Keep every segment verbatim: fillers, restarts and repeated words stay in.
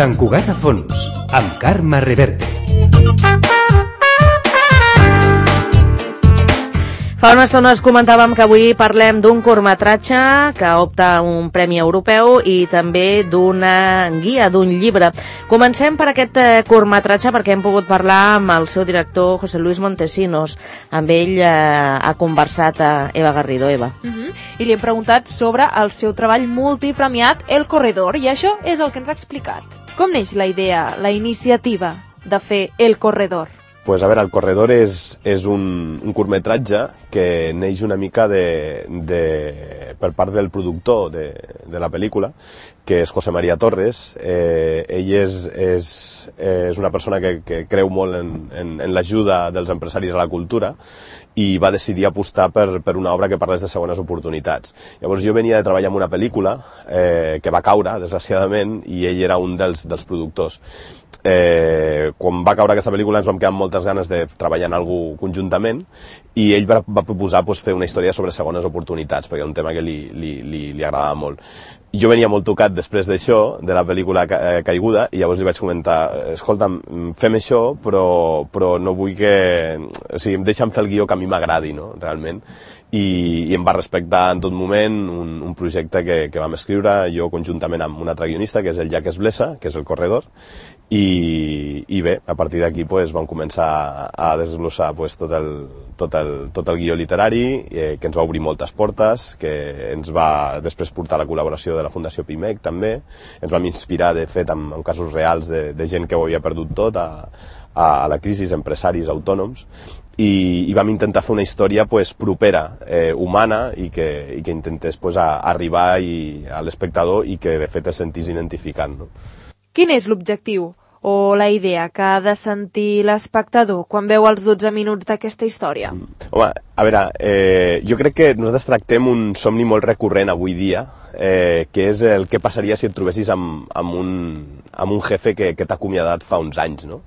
Sant Cugat a Fons, amb Carme Reverte. Fa una estona us comentàvem que avui parlem d'un curtmetratge que opta a un premi europeu i també d'una guia, d'un llibre. Comencem per aquest curtmetratge perquè hem pogut parlar amb el seu director, José Luis Montesinos. Amb ell eh, ha conversat a Eva Garrido. Eva. Uh-huh. I li hem preguntat sobre el seu treball multipremiat El Corredor, i això és el que ens ha explicat. Com neix la idea, la iniciativa de fer El Corredor? Pues a veure, El Corredor és, és un, un curtmetratge que neix una mica de, de, per part del productor de, de la pel·lícula, que és José María Torres. Eh, ell és, és, és una persona que, que creu molt en, en, en l'ajuda dels empresaris a la cultura i va decidir apostar per, per una obra que parlés de segones oportunitats. Llavors jo venia de treballar en una pel·lícula eh, que va caure, desgraciadament, i ell era un dels, dels productors. Eh, quan va caure aquesta pel·lícula ens vam quedar amb moltes ganes de treballar en alguna cosa conjuntament i ell va, va proposar pues, fer una història sobre segones oportunitats, perquè era un tema que li, li, li, li agradava molt. Jo venia molt tocat després d'això, de la pel·lícula ca Caiguda, i llavors li vaig comentar, escolta'm, fem això, però, però no vull que... O sigui, deixa'm fer el guió que a mi m'agradi, no?, realment. I, i em va respectar en tot moment un, un projecte que, que vam escriure jo conjuntament amb un altre guionista, que és el Jack Esblesa, que és El Corredor, i, i bé, a partir d'aquí pues, vam començar a desglossar pues, tot, el, tot, el, tot el guió literari, eh, que ens va obrir moltes portes, que ens va després portar la col·laboració de la Fundació Pimec també, ens vam inspirar de fet en, en casos reals de, de gent que ho havia perdut tot a, a, a la crisi, empresaris, autònoms, i, i vam intentar fer una història pues, propera, eh, humana, i que, i que intentés pues, a, arribar i, a l'espectador i que de fet es sentís identificant. No? Quin és l'objectiu o la idea que ha de sentir l'espectador quan veu els dotze minuts d'aquesta història? Home, a veure, eh, jo crec que nosaltres tractem un somni molt recurrent avui dia, eh, que és el que passaria si et trobessis amb, amb, un, amb un jefe que, que t'ha acomiadat fa uns anys, no?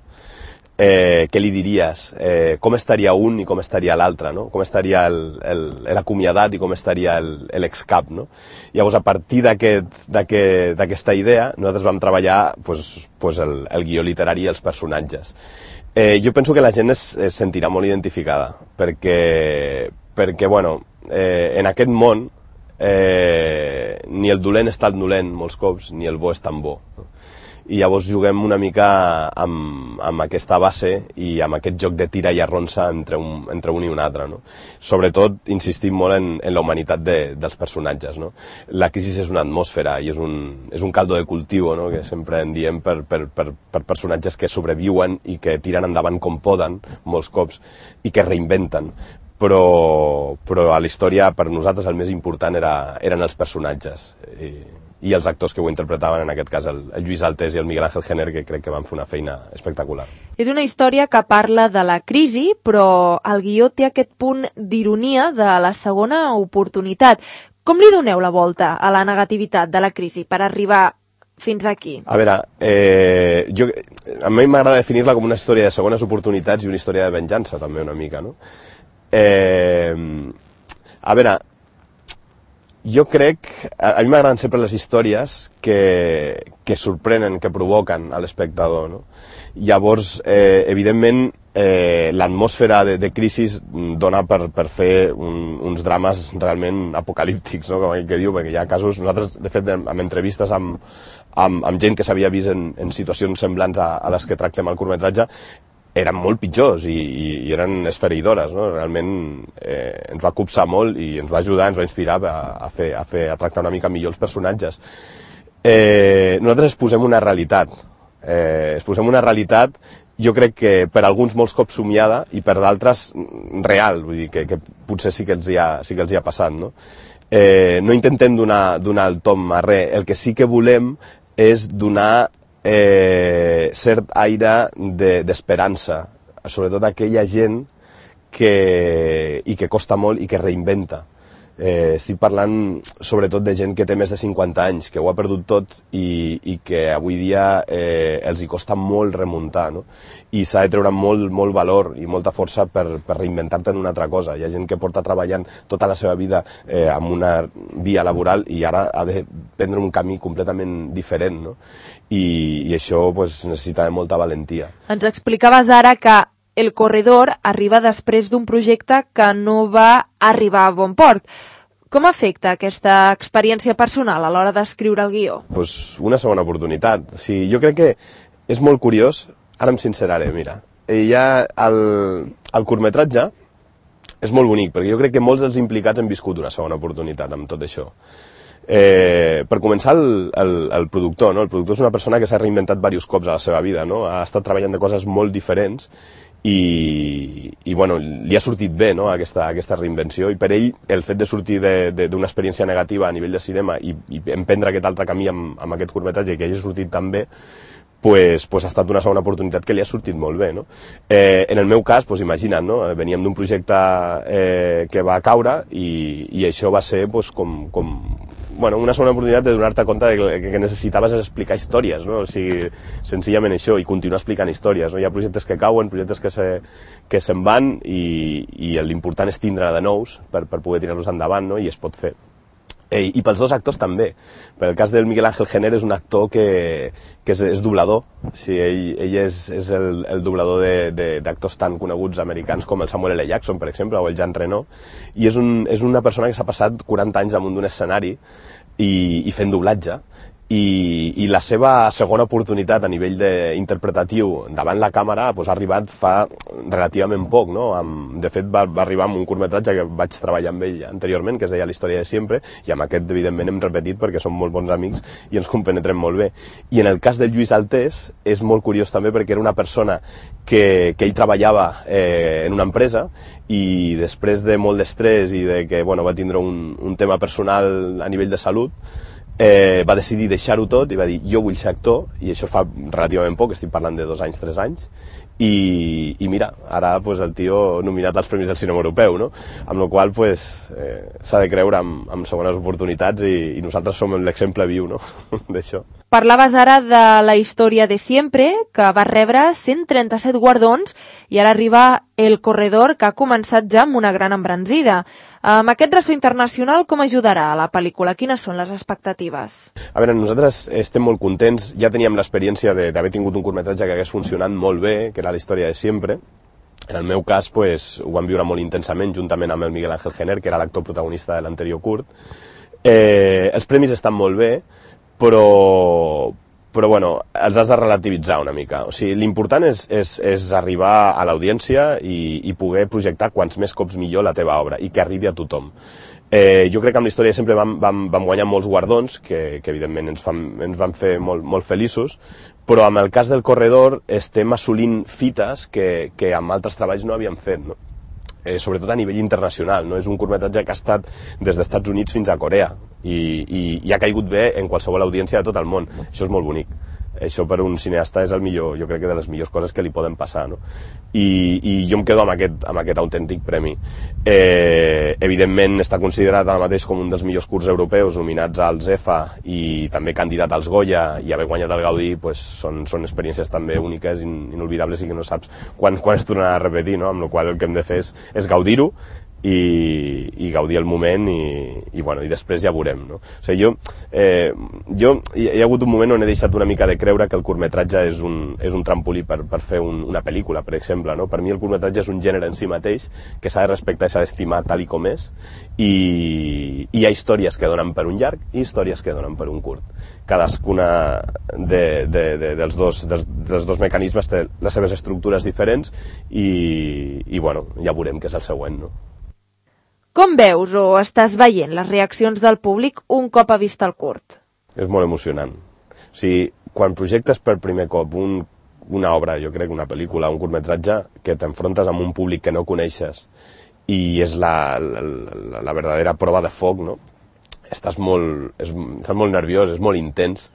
Eh, què li diries? Eh, com estaria un i com estaria l'altre, no? Com estaria l'acomiadat i com estaria l'excap, no? Llavors, a partir d'aquesta aquest, idea, nosaltres vam treballar pues, pues el, el guió literari i els personatges. Eh, jo penso que la gent es, es sentirà molt identificada, perquè, perquè bueno, eh, en aquest món eh, ni el dolent és tan dolent molts cops, ni el bo és tan bo, no? I llavors juguem una mica amb, amb aquesta base i amb aquest joc de tira i arronsa entre un, entre un i un altre, no? Sobretot insistim molt en, en la humanitat de, dels personatges, no? La crisi és una atmosfera i és un, és un caldo de cultiu, no?, que sempre en diem per, per, per, per personatges que sobreviuen i que tiren endavant com poden molts cops i que reinventen. Però, però a la història per nosaltres el més important era, eren els personatges i, i els actors que ho interpretaven, en aquest cas el, el Lluís Altés i el Miguel Ángel Jenner, que crec que van fer una feina espectacular. És una història que parla de la crisi, però el guió té aquest punt d'ironia de la segona oportunitat. Com li doneu la volta a la negativitat de la crisi per arribar fins aquí? A veure, eh, jo, a mi m'agrada definir-la com una història de segones oportunitats i una història de venjança, també, una mica, no? Eh, a veure, jo crec, a, a mi m'agraden sempre les històries que, que sorprenen, que provoquen a l'espectador, no? Llavors, eh, evidentment, eh, l'atmosfera de, de crisi dona per, per fer un, uns drames realment apocalíptics, no?, com aquell que diu, perquè hi ha casos, nosaltres, de fet, amb entrevistes amb, amb, amb gent que s'havia vist en, en situacions semblants a, a les que tractem al curtmetratge, eren molt pitjors i, i, i eren esfereïdores, no? Realment eh, ens va copsar molt i ens va ajudar, ens va inspirar a, a, fer, a, fer, a tractar una mica millor els personatges. Eh, nosaltres es posem una realitat, eh, es posem una realitat, jo crec que per alguns molts cops somiada i per d'altres real, vull dir que, que potser sí que els hi ha, sí que els hi ha passat, no? Eh, no intentem donar, donar el tom a res, el que sí que volem és donar Eh, cert aire d'esperança, de, sobretot aquella gent que, i que costa molt i que reinventa. Eh, estic parlant sobretot de gent que té més de cinquanta anys, que ho ha perdut tot i, i que avui dia eh, els hi costa molt remuntar, no? I s'ha de treure molt, molt valor i molta força per, per reinventar-te en una altra cosa. Hi ha gent que porta treballant tota la seva vida eh, amb una via laboral i ara ha de prendre un camí completament diferent, no? I, i això pues, necessitava molta valentia. Ens explicaves ara que El corredor arriba després d'un projecte que no va arribar a bon port. Com afecta aquesta experiència personal a l'hora d'escriure el guió? Pues una segona oportunitat. O sigui, jo crec que és molt curiós, ara em sinceraré, mira, ja el, el curtmetratge és molt bonic, perquè jo crec que molts dels implicats han viscut una segona oportunitat amb tot això. Eh, per començar, el, el, el productor, no? El productor és una persona que s'ha reinventat diversos cops a la seva vida, no? Ha estat treballant de coses molt diferents i, i bueno, li ha sortit bé, no? aquesta, aquesta reinvenció, i per ell el fet de sortir d'una experiència negativa a nivell de cinema i, i emprendre aquest altre camí amb, amb aquest curtmetratge i que hagi sortit tan bé, pues, pues ha estat una segona oportunitat que li ha sortit molt bé, no? Eh, en el meu cas, pues imagina't, no? Veníem d'un projecte eh, que va caure i, i això va ser pues, com, com bueno, una segona oportunitat de donar-te compte de que, que necessitaves explicar històries, no? O sigui, senzillament això, i continuar explicant històries, no? Hi ha projectes que cauen, projectes que se, que se'n van i, i l'important és tindre de nous per, per poder tirar-los endavant, no? I es pot fer. Eh, I pels dos actors també. Per el cas del Miguel Ángel Jenner és un actor que, que és, és doblador. O sigui, ell, ell és, és el, el doblador d'actors tan coneguts americans com el Samuel L. Jackson, per exemple, o el Jean Reno, i és, un, és una persona que s'ha passat quaranta anys damunt d'un escenari i, i fent doblatge. I, i la seva segona oportunitat a nivell interpretatiu davant la càmera pues, ha arribat fa relativament poc, no? Amb, de fet va, va arribar amb un curtmetratge que vaig treballar amb ell anteriorment, que es deia La història de sempre, i amb aquest evidentment hem repetit perquè som molt bons amics i ens compenetrem molt bé. I en el cas del Lluís Altés és molt curiós també perquè era una persona que, que ell treballava eh, en una empresa i després de molt d'estrès i de que bueno, va tindre un, un tema personal a nivell de salut, Eh, va decidir deixar-ho tot i va dir jo vull ser actor, i això fa relativament poc, estic parlant de dos anys, tres anys, i, i mira, ara pues, el tio nominat als Premis del Cinema Europeu, no? Amb la qual pues, eh, s'ha de creure amb, amb segones oportunitats i, i nosaltres som l'exemple viu, no? d'això. Parlaves ara de La història de sempre, que va rebre cent trenta-set guardons, i ara arriba El corredor, que ha començat ja amb una gran embranzida. Amb aquest ressò internacional, com ajudarà a la pel·lícula? Quines són les expectatives? A veure, nosaltres estem molt contents. Ja teníem l'experiència d'haver tingut un curtmetratge que hagués funcionat molt bé, que era La història de sempre. En el meu cas, pues, ho vam viure molt intensament, juntament amb el Miguel Ángel Jenner, que era l'actor protagonista de l'anterior curt. Eh, els premis estan molt bé, però, però bueno, els has de relativitzar una mica. O sigui, l'important és, és, és arribar a l'audiència i, i poder projectar quants més cops millor la teva obra i que arribi a tothom. Eh, jo crec que amb la història sempre vam, vam, vam guanyar molts guardons, que, que evidentment ens, fan, ens van fer molt, molt feliços, però amb el cas del corredor estem assolint fites que, que amb altres treballs no havíem fet, no? Eh, sobretot a nivell internacional, no? És un curtmetratge que ha estat des dels Estats Units fins a Corea i, i, i ha caigut bé en qualsevol audiència de tot el món. Això és molt bonic. Això per un cineasta és el millor, jo crec que de les millors coses que li poden passar, no? I, i jo em quedo amb aquest, amb aquest autèntic premi. Eh, evidentment està considerat ara mateix com un dels millors curts europeus nominats als E F A i també candidat als Goya, i haver guanyat el Gaudí pues, són, són experiències també úniques, in, inolvidables, i que no saps quan, quan es tornarà a repetir, no? Amb la qual el que hem de fer és, és gaudir-ho i, i gaudir el moment i, i, bueno, i després ja veurem, no? O sigui, jo, eh, jo hi, hi ha hagut un moment on he deixat una mica de creure que el curtmetratge és un, és un trampolí per, per fer un, una pel·lícula, per exemple, no? Per mi el curtmetratge és un gènere en si mateix que s'ha de respectar i s'ha d'estimar tal i com és, i, i hi ha històries que donen per un llarg i històries que donen per un curt. Cadascuna de, de, de, dels, dos, dels, dels dos mecanismes té les seves estructures diferents i, i bueno, ja veurem què és el següent, no? Com veus o estàs veient les reaccions del públic un cop ha vist el curt? És molt emocionant. O sigui, quan projectes per primer cop un, una obra, jo crec una pel·lícula, un curtmetratge, que t'enfrontes amb un públic que no coneixes i és la, la, la, la verdadera prova de foc, no? Estàs molt, és, estàs molt nerviós, és molt intens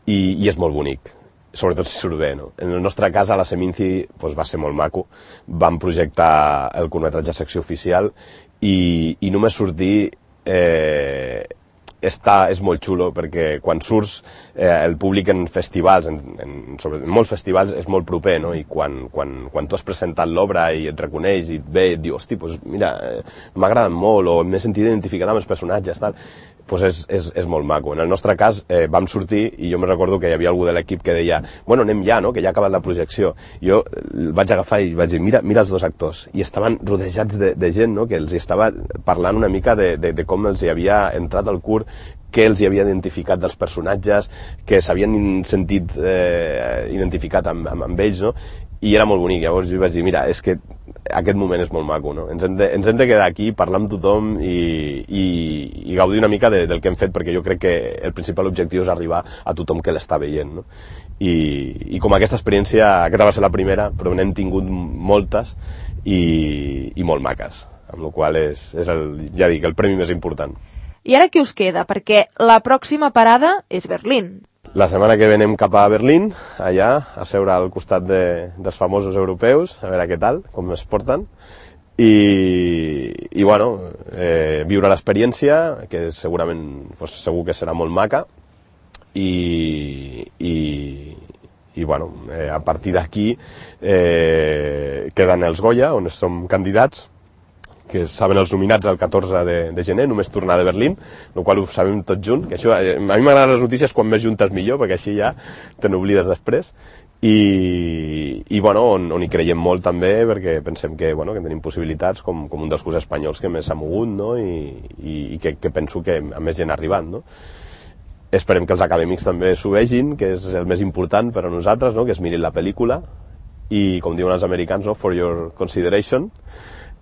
i, i és molt bonic. Sobretot si surt bé, no? En el nostre cas, a la Seminci, doncs va ser molt maco. Vam projectar el curtmetratge secció oficial i, i només sortir eh, està, és molt xulo, perquè quan surts eh, el públic en festivals, en, en, sobre, en molts festivals, és molt proper, no? I quan, quan, quan tu has presentat l'obra i et reconeix i et ve i et diu, hosti, doncs mira, eh, m'ha agradat molt o m'he sentit identificat amb els personatges, tal. pues és, és, és molt maco. En el nostre cas eh, vam sortir i jo me recordo que hi havia algú de l'equip que deia bueno, anem ja, no? Que ja ha acabat la projecció. Jo el vaig agafar i vaig dir mira, mira els dos actors. I estaven rodejats de, de gent, no? Que els estava parlant una mica de, de, de com els hi havia entrat al curt, què els hi havia identificat dels personatges, que s'havien sentit eh, identificat amb, amb, amb ells, no? I era molt bonic. Llavors jo vaig dir, mira, és que aquest moment és molt maco, no? Ens hem de, ens hem de quedar aquí, parlar amb tothom i, i, i gaudir una mica de, del que hem fet, perquè jo crec que el principal objectiu és arribar a tothom que l'està veient, no? I, i com aquesta experiència, aquesta va ser la primera, però n'hem tingut moltes i, i molt maques, amb la qual és, és el, ja dic, el premi més important. I ara què us queda? Perquè la pròxima parada és Berlín. La setmana que ve anem cap a Berlín, allà, a seure al costat de, dels famosos europeus, a veure què tal, com es porten, i, i bueno, eh, viure l'experiència, que segurament, pues, segur que serà molt maca, i, i, i bueno, eh, a partir d'aquí eh, queden els Goya, on som candidats, que saben els nominats el catorze de, de gener, només tornar de Berlín, el qual ho sabem tots junts, que això, a mi m'agraden les notícies quan més juntes millor, perquè així ja te n'oblides després, i, i bueno, on, on hi creiem molt també, perquè pensem que, bueno, que tenim possibilitats com, com un dels cursos espanyols que més s'ha mogut, no? I, i, i que, que penso que a més gent ha arribat, no? Esperem que els acadèmics també s'ho vegin, que és el més important per a nosaltres, no? Que es mirin la pel·lícula, i com diuen els americans, no? For your consideration.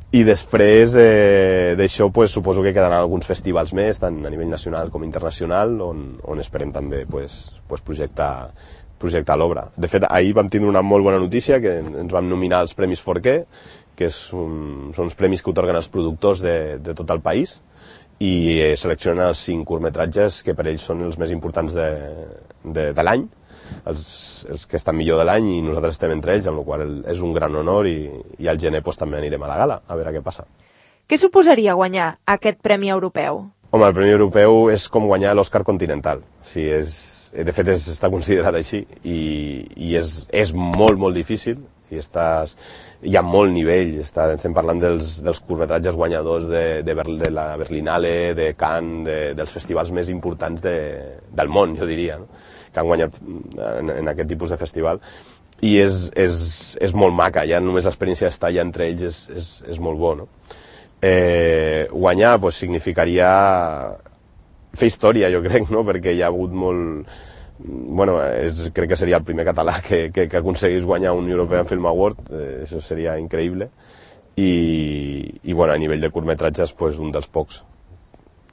I després eh, d'això pues, suposo que quedaran alguns festivals més, tant a nivell nacional com internacional, on, on esperem també pues, pues projectar, projectar l'obra. De fet, ahir vam tindre una molt bona notícia, que ens vam nominar als Premis Forqué, que és un, són uns premis que otorguen els productors de, de tot el país, i eh, seleccionen els cinc curtmetratges que per ells són els més importants de, de, de l'any, els, els que estan millor de l'any, i nosaltres estem entre ells, amb la qual cosa és un gran honor, i, i al gener pues, també anirem a la gala, a veure què passa. Què suposaria guanyar aquest Premi Europeu? Home, el Premi Europeu és com guanyar l'Oscar Continental. O sigui, és, de fet, és, està considerat així, i, i és, és molt, molt difícil, i estàs, hi ha molt nivell, està, estem parlant dels, dels curtmetratges guanyadors de, de, de la Berlinale, de Cannes, de, dels festivals més importants de, del món, jo diria, no? Que han guanyat en, en aquest tipus de festival, i és, és, és molt maca, ja només l'experiència d'estar allà entre ells és, és, és molt bo, no? Eh, guanyar pues, significaria fer història, jo crec, no? Perquè hi ha hagut molt... Bueno, és, crec que seria el primer català que, que, que aconseguís guanyar un European Film Award, eh, això seria increïble, i, i bueno, a nivell de curtmetratges, pues, un dels pocs,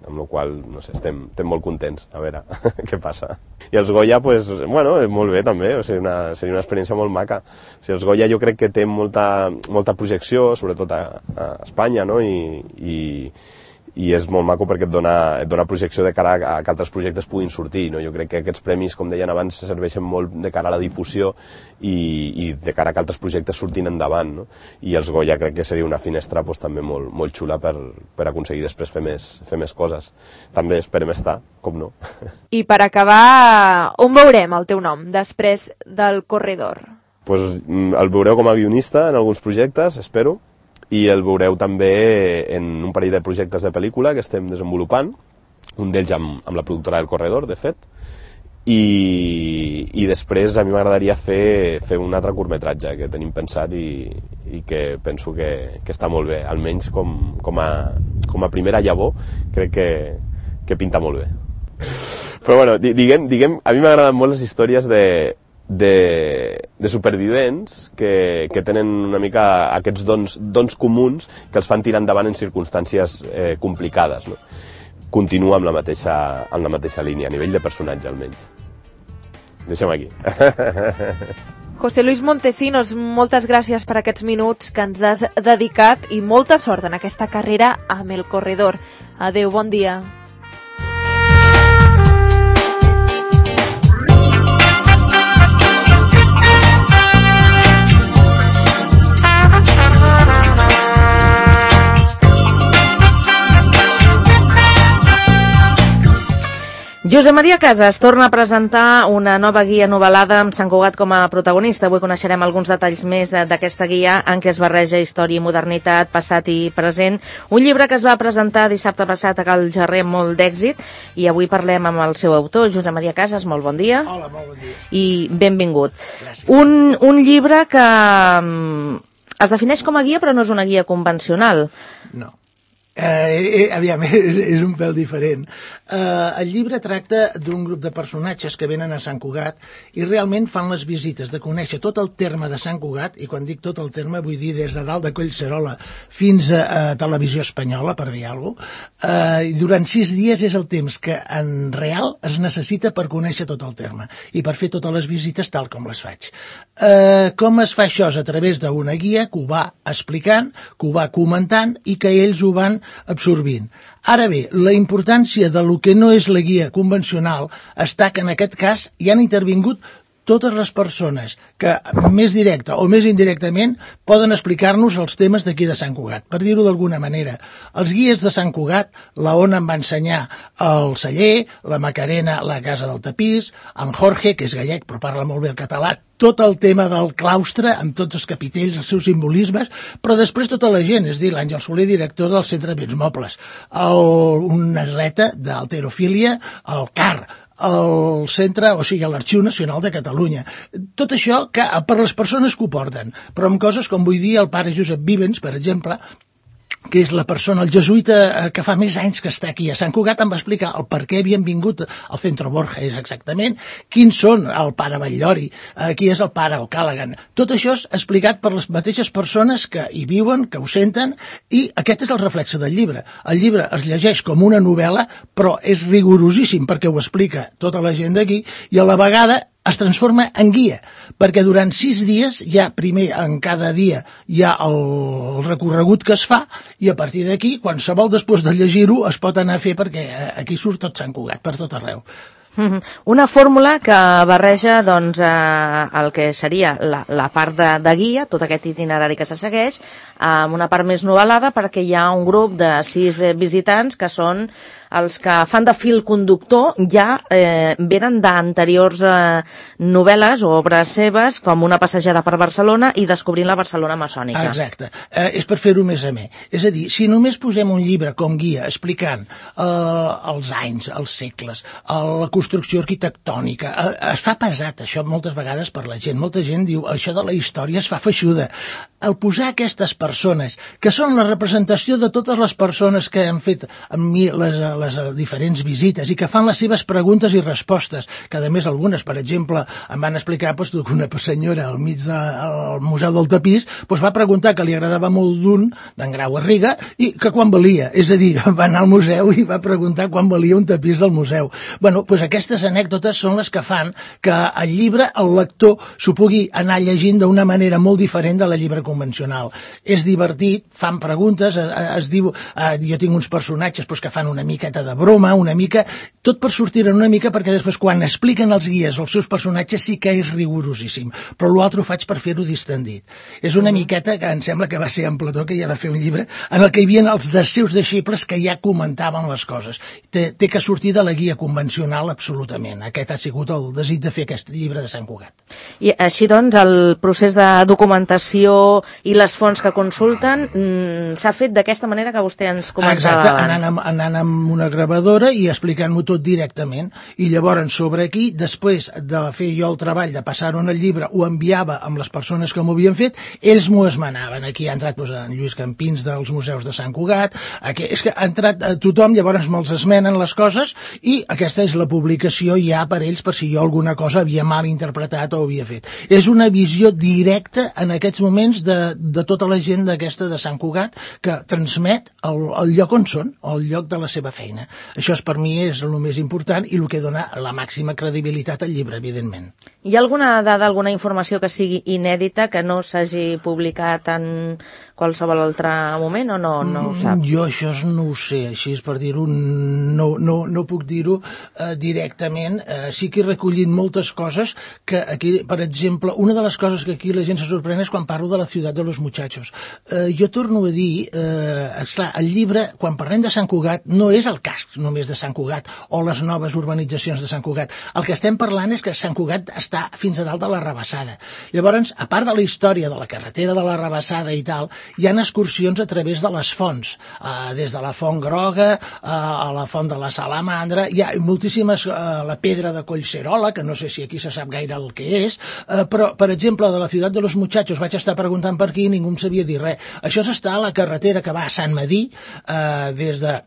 amb la qual no sé, estem, estem molt contents, a veure què passa. I els Goya, pues, bueno, molt bé també, o sigui, una, seria una experiència molt maca. O sigui, els Goya jo crec que té molta, molta projecció, sobretot a, a Espanya, no? I, i, i és molt maco perquè et dona, et dona projecció de cara a, a que altres projectes puguin sortir, no? Jo crec que aquests premis, com deien abans, serveixen molt de cara a la difusió i, i de cara a que altres projectes surtin endavant, no? I els Goya crec que seria una finestra pues, també molt, molt xula per, per aconseguir després fer més, fer més coses. També esperem estar, com no. I per acabar, on veurem el teu nom després del Corredor? Pues, el veureu com a guionista en alguns projectes, espero, i el veureu també en un parell de projectes de pel·lícula que estem desenvolupant, un d'ells amb, amb la productora del Corredor, de fet, i, i després a mi m'agradaria fer, fer un altre curtmetratge que tenim pensat i, i que penso que, que està molt bé, almenys com, com, a, com a primera llavor crec que, que pinta molt bé. Però bueno, diguem, diguem a mi m'agraden molt les històries de De, de supervivents que, que tenen una mica aquests dons, dons comuns que els fan tirar endavant en circumstàncies eh, complicades, no? Continua amb la, mateixa, amb la mateixa línia, a nivell de personatge almenys. Deixem aquí. José Luis Montesinos, moltes gràcies per aquests minuts que ens has dedicat i molta sort en aquesta carrera amb el Corredor. Adéu, bon dia. Josep Maria Casas torna a presentar una nova guia novel·lada amb Sant Cugat com a protagonista. Avui coneixerem alguns detalls més d'aquesta guia en què es barreja història i modernitat, passat i present. Un llibre que es va presentar dissabte passat a Cal Jarrer amb molt d'èxit i avui parlem amb el seu autor, Josep Maria Casas. Molt bon dia. Hola, molt bon dia. I benvingut. Gràcies. Un, un llibre que um, es defineix com a guia però no és una guia convencional. No. Eh, eh, aviam, és, és un pèl diferent. Eh, el llibre tracta d'un grup de personatges que venen a Sant Cugat i realment fan les visites de conèixer tot el terme de Sant Cugat, i quan dic tot el terme vull dir des de dalt de Collserola fins a, a Televisió Espanyola, per dir alguna cosa. Eh, durant sis dies és el temps que en real es necessita per conèixer tot el terme i per fer totes les visites tal com les faig. Eh, com es fa això? És a través d'una guia que ho va explicant, que ho va comentant i que ells ho van absorbint. Ara bé, la importància de lo que no és la guia convencional està que en aquest cas hi han intervingut totes les persones que més directa o més indirectament poden explicar-nos els temes d'aquí de Sant Cugat. Per dir-ho d'alguna manera, els guies de Sant Cugat, la Ona em va ensenyar el celler, la Macarena la casa del tapís, en Jorge, que és gallec però parla molt bé el català, tot el tema del claustre, amb tots els capitells, els seus simbolismes, però després tota la gent, és a dir, l'Àngel Soler, director del Centre de Béns Mobles, el, una atleta d'halterofília, el C A R, el centre, o sigui, l'Arxiu Nacional de Catalunya. Tot això que per les persones que ho porten, però amb coses com vull dir el pare Josep Vivens, per exemple, que és la persona, el jesuïta que fa més anys que està aquí a Sant Cugat, em va explicar el per què havien vingut al Centre Borges exactament, quins són el pare Batllori, qui és el pare O'Callaghan. Tot això és explicat per les mateixes persones que hi viuen, que ho senten, i aquest és el reflexe del llibre. El llibre es llegeix com una novel·la, però és rigorosíssim perquè ho explica tota la gent d'aquí, i a la vegada es transforma en guia, perquè durant sis dies hi ha, primer, en cada dia hi ha el recorregut que es fa, i a partir d'aquí, qualsevol després de llegir-ho es pot anar a fer, perquè aquí surt tot Sant Cugat, per tot arreu. Una fórmula que barreja doncs, eh, el que seria la, la part de, de guia, tot aquest itinerari que se segueix, amb una part més novel·lada, perquè hi ha un grup de sis visitants que són els que fan de fil conductor, ja eh, venen d'anteriors eh, novel·les o obres seves, com una passejada per Barcelona i descobrint la Barcelona maçònica. Exacte, eh, és per fer-ho més amè. És a dir, si només posem un llibre com guia explicant eh, els anys, els segles, la construcció arquitectònica, eh, es fa pesat això moltes vegades per la gent. Molta gent diu, això de la història es fa feixuda. El posar aquestes persones, que són la representació de totes les persones que han fet amb mi les, les diferents visites i que fan les seves preguntes i respostes, que a més algunes, per exemple, em van explicar doncs, que una senyora al mig del Museu del Tapís doncs, va preguntar que li agradava molt d'un, d'en Grau Garriga, i que quan valia. És a dir, va anar al museu i va preguntar quan valia un tapís del museu. Bueno, doncs aquestes anècdotes són les que fan que el llibre, el lector, s'ho pugui anar llegint d'una manera molt diferent de la llibre convencional. És divertit, fan preguntes, es, es diu, eh, jo tinc uns personatges doncs, que fan una miqueta de broma, una mica, tot per sortir en una mica, perquè després quan expliquen els guies els seus personatges sí que és rigorosíssim, però l'altre ho faig per fer-ho distendit. És una miqueta que em sembla que va ser en Plató, que ja va fer un llibre en el que hi havia els dels seus deixebles que ja comentaven les coses. Té, té que sortir de la guia convencional absolutament. Aquest ha sigut el desig de fer aquest llibre de Sant Cugat. I així doncs el procés de documentació i les fonts que consulten mm, s'ha fet d'aquesta manera que vostè ens comentava Exacte, abans. anant amb, anant amb una gravadora i explicant-m'ho tot directament, i llavors sobre aquí, després de fer jo el treball de passar-ho en el llibre, ho enviava amb les persones que m'ho havien fet, ells m'ho esmenaven. Aquí ha entrat doncs, en Lluís Campins dels Museus de Sant Cugat, aquí, és que ha entrat a tothom, llavors me'ls esmenen les coses i aquesta és la publicació ja per ells, per si jo alguna cosa havia mal interpretat o havia fet. És una visió directa en aquests moments de, de tota la gent d'aquesta de Sant Cugat que transmet el, el lloc on són, el lloc de la seva feina. Això és, per mi és el més important i el que dona la màxima credibilitat al llibre, evidentment. Hi ha alguna dada, alguna informació que sigui inèdita, que no s'hagi publicat en qualsevol altre moment o no, no ho sap? Jo això no ho sé, així és per dir-ho, no, no, no puc dir-ho eh, directament. Eh, sí que he recollit moltes coses que aquí, per exemple, una de les coses que aquí la gent se sorprèn és quan parlo de la ciutat de los muchachos. Eh, jo torno a dir, eh, esclar, el llibre, quan parlem de Sant Cugat, no és el casc només de Sant Cugat o les noves urbanitzacions de Sant Cugat. El que estem parlant és que Sant Cugat està fins a dalt de la Rabassada. Llavors, a part de la història de la carretera de la Rabassada i tal, hi ha excursions a través de les fonts, eh, des de la Font Groga eh, a la Font de la Salamandra, hi ha moltíssimes, eh, la Pedra de Collserola, que no sé si aquí se sap gaire el que és, eh, però, per exemple, de la ciutat de los muchachos vaig estar preguntant per aquí i ningú em sabia dir res. Això s'està a la carretera que va a Sant Medir, eh, des de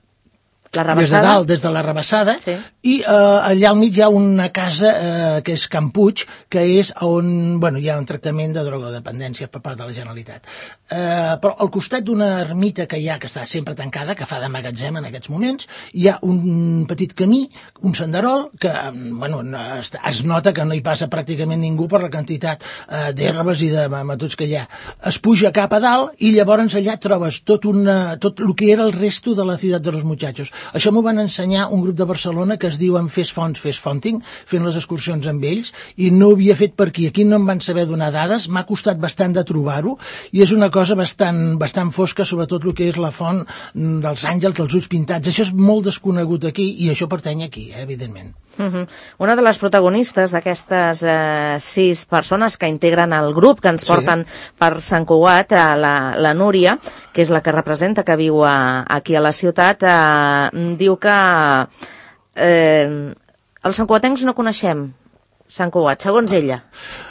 La des de dalt, des de la Rabassada, sí. I eh, allà al mig hi ha una casa eh, que és Can Puig, que és on bueno, hi ha un tractament de drogodependència per part de la Generalitat. Eh, però al costat d'una ermita que hi ha, que està sempre tancada, que fa de magatzem en aquests moments, hi ha un petit camí, un senderol, que bueno, es, es nota que no hi passa pràcticament ningú per la quantitat eh, d'herbes i de matots que hi ha. Es puja cap a dalt i llavors allà trobes tot, una, tot el que era el resto de la ciutat de los muchachos. Això m'ho van ensenyar un grup de Barcelona que es diuen Fes Fonts, Fes Fonting, fent les excursions amb ells, i no ho havia fet per aquí. Aquí no em van saber donar dades, m'ha costat bastant de trobar-ho, i és una cosa bastant, bastant fosca, sobretot el que és la font dels àngels, dels ulls pintats. Això és molt desconegut aquí, i això pertany aquí, eh, evidentment. Uh-huh. Una de les protagonistes d'aquestes eh, sis persones que integren el grup que ens porten sí. per Sant Cugat, eh, la, la Núria, que és la que representa, que viu a, aquí a la ciutat, eh, diu que eh, els santcugatencs no coneixem Sant Cugat, segons ella.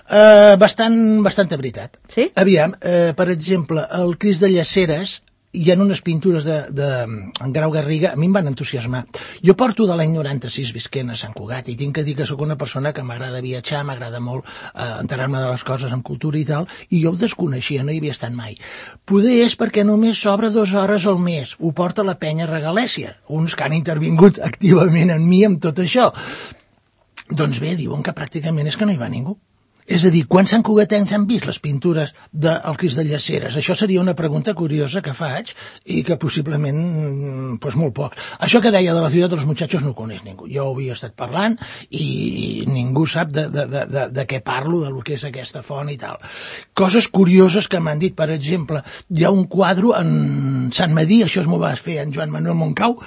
Uh, bastant, bastanta veritat. Sí? Aviam, uh, per exemple, el Crist de Llaceres, hi ha unes pintures de, de en Grau Garriga, a mi em van entusiasmar. Jo porto de l'any noranta-sis visquent a Sant Cugat i tinc que dir que sóc una persona que m'agrada viatjar, m'agrada molt eh, enterar-me de les coses amb cultura i tal, i jo ho desconeixia, no hi havia estat mai. Poder és perquè només s'obre dues hores al mes, ho porta la penya Regalèsia, uns que han intervingut activament en mi amb tot això. Doncs bé, diuen que pràcticament és que no hi va ningú. És a dir, quants santcugatencs han vist les pintures del Crist de Llaceres? Això seria una pregunta curiosa que faig i que possiblement, doncs molt poc. Això que deia de la ciutat dels muchachos no ho coneix ningú. Jo ho havia estat parlant i ningú sap de, de, de, de, de què parlo, de lo que és aquesta font i tal. Coses curioses que m'han dit, per exemple, hi ha un quadre en Sant Medir, això es m'ho va fer en Joan Manuel Moncau,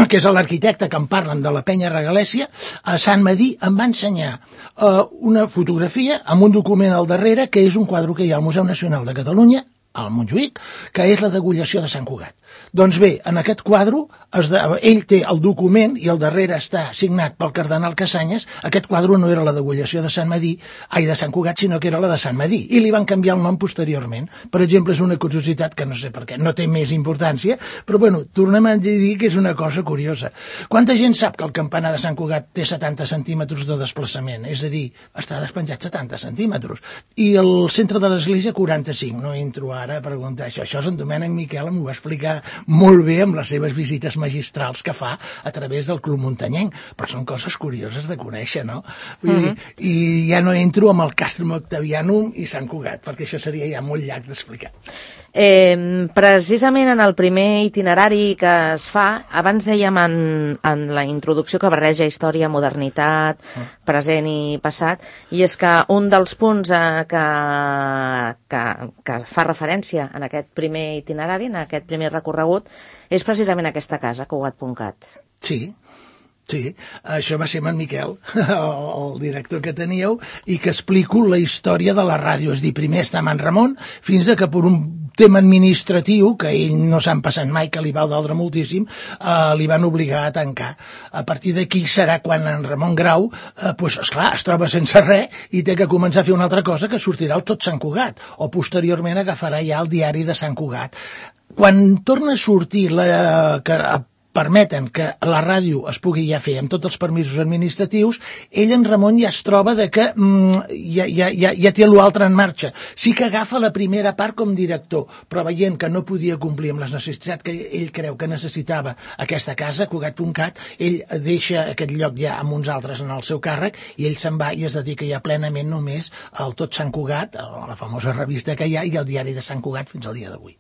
que és l'arquitecte que em parlen de la penya Regalèsia, a Sant Medir em va ensenyar uh, una fotografia amb un document al darrere, que és un quadre que hi ha al Museu Nacional de Catalunya, al Montjuïc, que és la degollació de Sant Cugat. Doncs bé, en aquest quadre, es de, ell té el document i al darrere està signat pel cardenal Casanyes. Aquest quadre no era la degollació de Sant Medir, ai, de Sant Cugat, sinó que era la de Sant Medir, i li van canviar el nom posteriorment. Per exemple, és una curiositat que no sé per què, no té més importància, però bueno, tornem a dir que és una cosa curiosa. Quanta gent sap que el campanar de Sant Cugat té setanta centímetres de desplaçament? És a dir, està despenjat setanta centímetres. I el centre de l'església quaranta-cinc, no entro ara a preguntar això. Això és en Domènec Miquel, m'ho va explicar molt bé amb les seves visites magistrals que fa a través del Club Muntanyenc, però són coses curioses de conèixer, no? Vull dir, uh-huh. I ja no entro amb el Castrum Octavianum i Sant Cugat, perquè això seria ja molt llarg d'explicar. Eh, precisament en el primer itinerari que es fa, abans dèiem en, en la introducció que barreja història, modernitat, uh. present i passat, i és que un dels punts eh, que, que, que fa referència en aquest primer itinerari, en aquest primer recorregut, és precisament aquesta casa, Cugat punt cat. Sí. Sí, això va ser amb en Miquel, el director que teníeu, i que explico la història de la ràdio. És dir, primer està amb en Ramon, fins a que per un tema administratiu, que ell no s'han passat mai, que li va doldre moltíssim, eh, li van obligar a tancar. A partir d'aquí serà quan en Ramon Grau, eh, pues, esclar, es troba sense res i té que començar a fer una altra cosa que sortirà el Tot Sant Cugat, o posteriorment agafarà ja el diari de Sant Cugat. Quan torna a sortir la... que permeten que la ràdio es pugui ja fer amb tots els permisos administratius, ell, en Ramon, ja es troba de que mm, ja, ja, ja, ja té l'altre en marxa. Sí que agafa la primera part com director, però veient que no podia complir amb les necessitats que ell creu que necessitava aquesta casa, Cugat punt cat, ell deixa aquest lloc ja amb uns altres en el seu càrrec i ell se'n va i es dedica ja plenament només al Tot Sant Cugat, a la famosa revista que hi ha, i al diari de Sant Cugat fins al dia d'avui.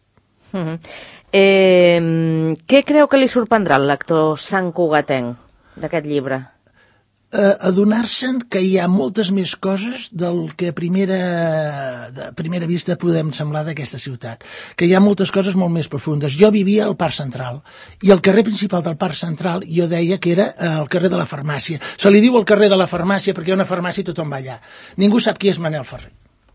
Uh-huh. eh, què creu que li sorprendrà al lector santcugatenc d'aquest llibre? Eh, adonar-se'n que hi ha moltes més coses del que a primera, a primera vista podem semblar d'aquesta ciutat, que hi ha moltes coses molt més profundes. Jo vivia al Parc Central i el carrer principal del Parc Central jo deia que era el carrer de la Farmàcia. Se li diu el carrer de la Farmàcia perquè hi ha una farmàcia i tothom va allà. Ningú sap qui és Manel Ferrer.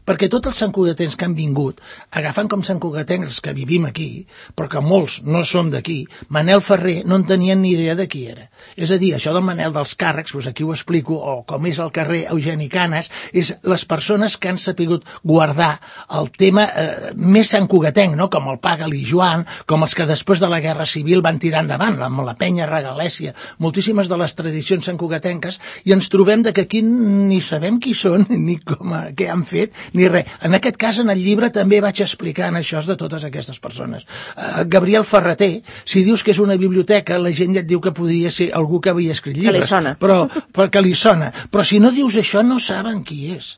Perquè tots els santcugatencs que han vingut, agafant com santcugatencs que vivim aquí, però que molts no som d'aquí, Manel Ferrer no en tenien ni idea de qui era. És a dir, això del Manel dels càrrecs, doncs aquí ho explico, o com és el carrer Eugeni Canes, és les persones que han sapigut guardar el tema eh, més santcugatenc, no? Com el Pa Galí Joan, com els que després de la Guerra Civil van tirar endavant, amb la penya regalèsia, moltíssimes de les tradicions santcugatenques, i ens trobem de que aquí ni sabem qui són, ni com, què han fet, ni res. En aquest cas, en el llibre, també vaig explicant això de totes aquestes persones. Uh, Gabriel Ferrater, si dius que és una biblioteca, la gent ja et diu que podria ser algú que havia escrit llibres. Que li sona. Però, perquè li sona. Però si no dius això, no saben qui és.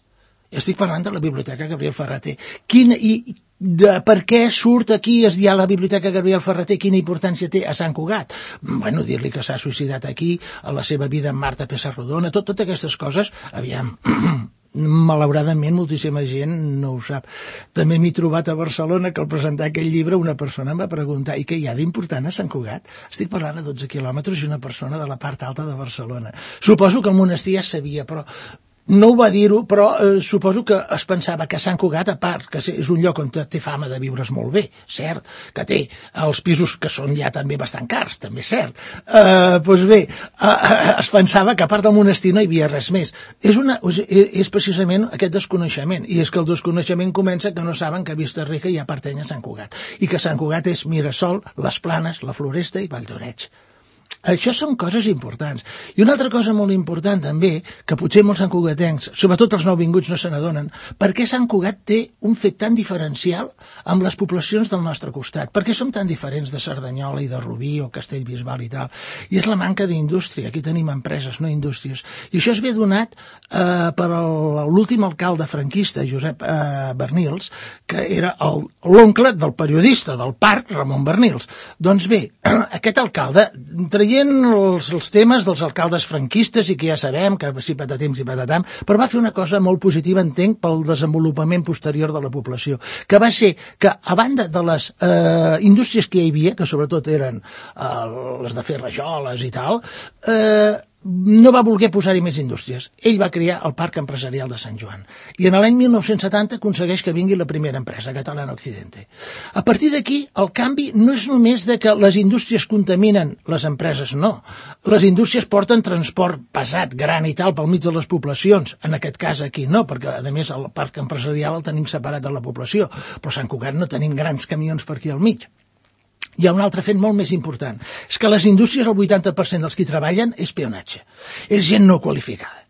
Estic parlant de la biblioteca Gabriel Ferrater. Quina, i, de per què surt aquí es hi ha la biblioteca Gabriel Ferrater, quina importància té a Sant Cugat? Bueno, dir-li que s'ha suïcidat aquí, a la seva vida amb Marta Pessarrodona, tot, totes aquestes coses, aviam... malauradament moltíssima gent no ho sap. També m'he trobat a Barcelona que al presentar aquell llibre una persona em va preguntar i què hi ha d'important a Sant Cugat? Estic parlant a dotze quilòmetres i una persona de la part alta de Barcelona. Suposo que el monestir ja sabia, però no ho va dir-ho, però eh, suposo que es pensava que Sant Cugat, a part, que és un lloc on té fama de viure's molt bé, cert, que té els pisos que són ja també bastant cars, també és cert. Eh, doncs bé, eh, es pensava que a part del monestir no hi havia res més. És, una, és precisament aquest desconeixement, i és que el desconeixement comença que no saben que a Vista-rica hi ha pertany a Sant Cugat, i que Sant Cugat és Mirasol, les Planes, la Floresta i Valldoreix. Això són coses importants. I una altra cosa molt important també, que potser molts santcugatencs, sobretot els nouvinguts, no se n'adonen, per què Sant Cugat té un fet tan diferencial amb les poblacions del nostre costat? Per què som tan diferents de Cerdanyola i de Rubí o Castellbisbal i tal? I és la manca d'indústria. Aquí tenim empreses, no indústries. I això es ve donat eh, per l'últim alcalde franquista, Josep eh, Bernils, que era l'oncle del periodista del Parc, Ramon Bernils. Doncs bé, aquest alcalde, traient els, els temes dels alcaldes franquistes i que ja sabem que si patatim, si patatam, però va fer una cosa molt positiva, entenc, pel desenvolupament posterior de la població, que va ser que, a banda de les eh, indústries que hi havia, que sobretot eren eh, les de fer rajoles i tal, eh, no va voler posar-hi més indústries. Ell va crear el Parc Empresarial de Sant Joan. I en l'any mil nou-cents setanta aconsegueix que vingui la primera empresa, Catalana Occidente. A partir d'aquí, el canvi no és només de que les indústries contaminen, les empreses no. Les indústries porten transport pesat, gran i tal, pel mig de les poblacions. En aquest cas aquí no, perquè a més el Parc Empresarial el tenim separat de la població. Però a Sant Cugat no tenim grans camions per aquí al mig. Hi ha un altre fet molt més important. És que les indústries, el vuitanta per cent dels que hi treballen és peonatge. És gent no qualificada.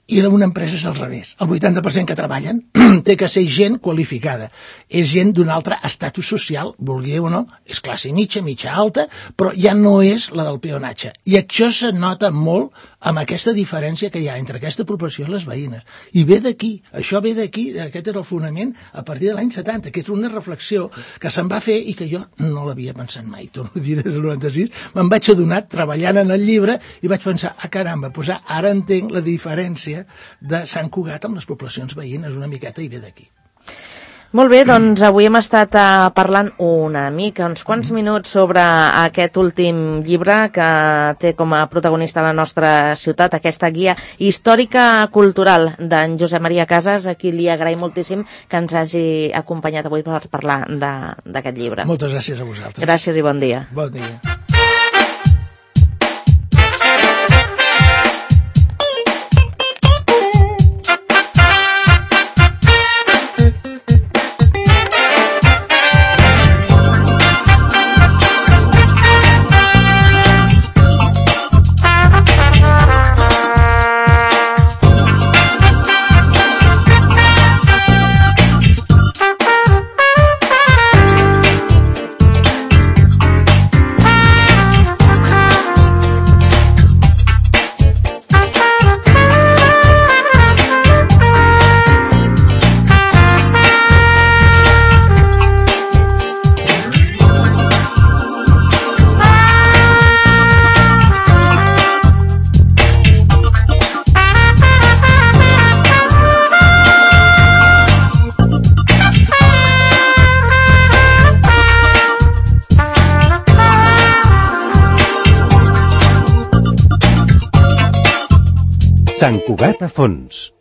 I una empresa és al revés. El vuitanta per cent que treballen té que ser gent qualificada. És gent d'un altre estatus social, vulgui o no, és classe mitja, mitja alta, però ja no és la del peonatge. I això se nota molt amb aquesta diferència que hi ha entre aquesta població i les veïnes. I ve d'aquí, això ve d'aquí, aquest era el fonament a partir de l'any setanta, que és una reflexió que se'n va fer i que jo no l'havia pensat mai. Torno a dir, des del noranta-sis me'n vaig adonar treballant en el llibre i vaig pensar, ah caramba, doncs ara entenc la diferència de Sant Cugat amb les poblacions veïnes una miqueta i ve d'aquí. Molt bé, doncs avui hem estat uh, parlant una mica, uns quants minuts sobre aquest últim llibre que té com a protagonista la nostra ciutat, aquesta guia històrica cultural d'en Josep Maria Casas, a qui li agraïm moltíssim que ens hagi acompanyat avui per parlar d'aquest llibre. Moltes gràcies a vosaltres. Gràcies i bon dia. Bon dia. Sant Cugat a fons.